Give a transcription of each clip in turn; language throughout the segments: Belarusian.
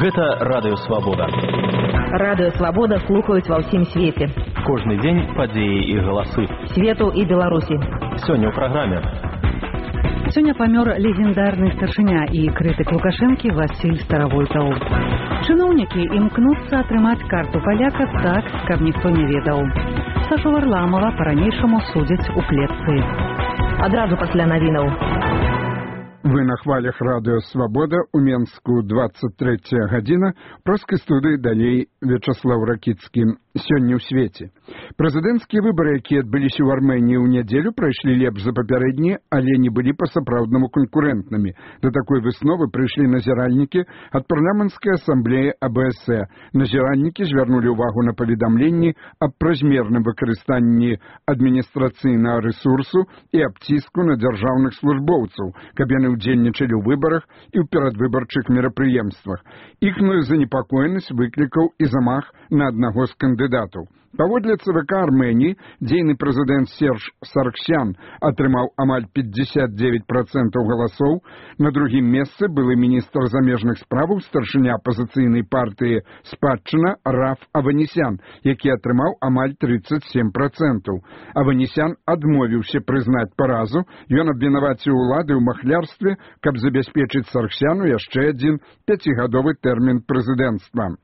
Гэта Радыё Свабода. Радыё Свабода слухаюць ва ўсім свеце. Кожны дзень падзеі і галасы. Свету і Беларусі. Сёння ў праграме. Сёння памёр легендарны старшыня і крытык Лукашэнкі Васіль Старавойтаў. Чыноўнікі імкнуцца атрымаць карту паляка так, каб ніхто не ведаў. Сашу Варламова па-ранейшаму судзяць у клетцы. Адразу пасля навінаў. Вы на хвалях Радыё Свабода, у Менску 23 гадзіна, проскай студыі далей Вячаслаў Ракіцкі. Сёння ў свеце. Прэзідэнцкія выбары, якія адбыліся ў Арменіі ў нядзелю, прайшлі лепш за папярэднія, але не былі па-сапраўднаму канкурэнтнымі. Да такой высновы прыйшлі назіральнікі ад парламенцкай асамблеі АБС. Назіральнікі звярнулі ўвагу на паведамленні аб празмерным выкарыстанні адміністрацыйнага рэсурсу і аб ціску на дзяржаўных службоўцаў, каб яны удзельнічалі ў выбарах і ў перадвыбарчых мерапрыемствах. Іхную занепакоенасць выклікаў і замах на аднаго з кандыдатаў. Паводле ЦВК Арменіі, дзейны прэзідэнт Серж Саргсян атрымаў амаль 59% галасоў. На другім месцы былы міністр замежных справаў, старшыня апазіцыйнай партыі «Спадчына» Раф Аванесян, які атрымаў амаль 37%. Аванесян адмовіўся прызнаць паразу. Ён абвінаваціў улады ў махлярстве, каб забяспечыць Саргсяну яшчэ адзін 5-гадовы тэрмін прэзідэнцтва.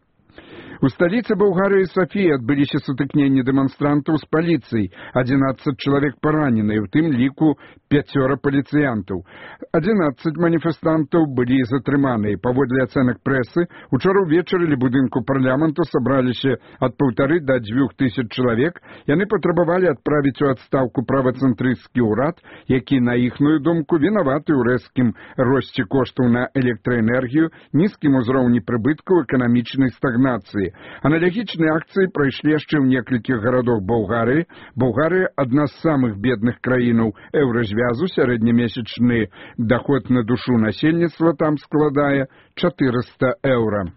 У сталіцы Балгарыі Сафіі адбыліся сутыкненні дэманстрантаў з паліцыяй. 11 чалавек параненыя, у тым ліку 5 паліцыянтаў. 11 маніфестантаў былі затрыманыя. Паводле ацэнак прэсы, учора ўвечары ля будынку парламенту сабраліся ад 1,5 да 2,000 чалавек. Яны патрабавалі адправіць у адстаўку правацэнтрысцкі ўрад, які, на іхную думку, вінаваты ў рэзкім росце коштаў на электраэнергію, нізкім узроўні прыбыткаў, эканамічнай стагнацыі. Аналагічныя акцыі прайшлі яшчэ ў некалькіх гарадах Балгарыі. Балгарыя – адна з самых бедных краінаў еўразвязу. Сярэднемесячны даход на душу насельніцтва там складае 400 еўра.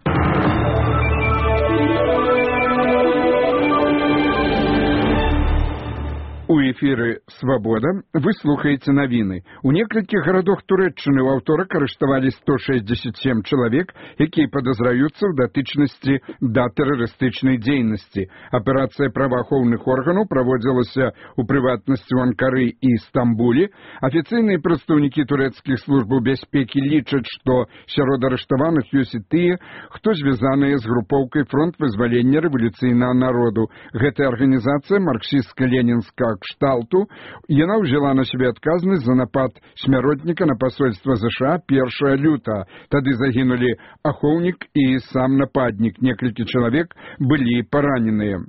У эфіры «Свабода» вы слухаеце навіны. У некалькіх гарадах Турэччыны ў аўторак арыштавалі 167 чалавек, якія падазраюцца ў датычнасці да тэрарыстычнай дзейнасці. Аперацыя праваахоўных органаў праводзілася ў прыватнасці ў Анкары і Стамбуле. Афіцыйныя прадстаўнікі турэцкіх службаў бяспекі лічаць, што сярод арыштаваных ёсць і тыя, хто звязаныя з групоўкай «Фронт вызвалення рэвалюцыйнага народу». Гэтая арганізацыя марксістска-ленінская кшталту, яна ўзяла на сябе адказнасць за напад смяротніка на пасольства ЗША 1 лютага. Тады загінулі ахоўнік і сам нападнік. Некалькі чалавек былі параненыя.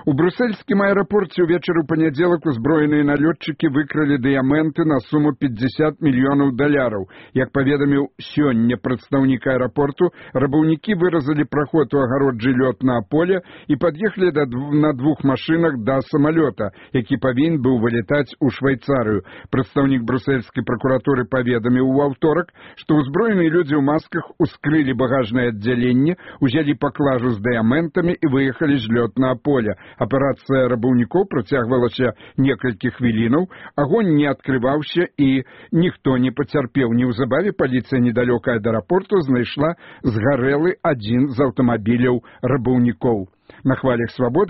У брусельскім аэрапорце ўвечары ў панядзелак узброеныя налётчыкі выкралі дыяменты на суму $50 мільёнаў. Як паведаміў сёння прадстаўнік аэрапорту, рабаўнікі выразалі праход у агароджы лётнага поля і пад'ехалі на 2 машынах да самалёта, які павінен быў вылетаць у Швейцарыю. Прадстаўнік брусельскай пракуратуры паведаміў у аўторак, што ўзброеныя людзі ў масках ускрылі багажнае аддзяленне, узялі паклажу з дыяментамі і выехалі з лётнага поля. Аперацыя рабаўнікоў працягвалася некалькі хвілінаў, агонь не адкрываўся і ніхто не пацярпеў. Неўзабаве паліцыя недалёка ад аэрапорту знайшла згарэлы адзін з аўтамабіляў рабаўнікоў. На хвалях «Свабоды»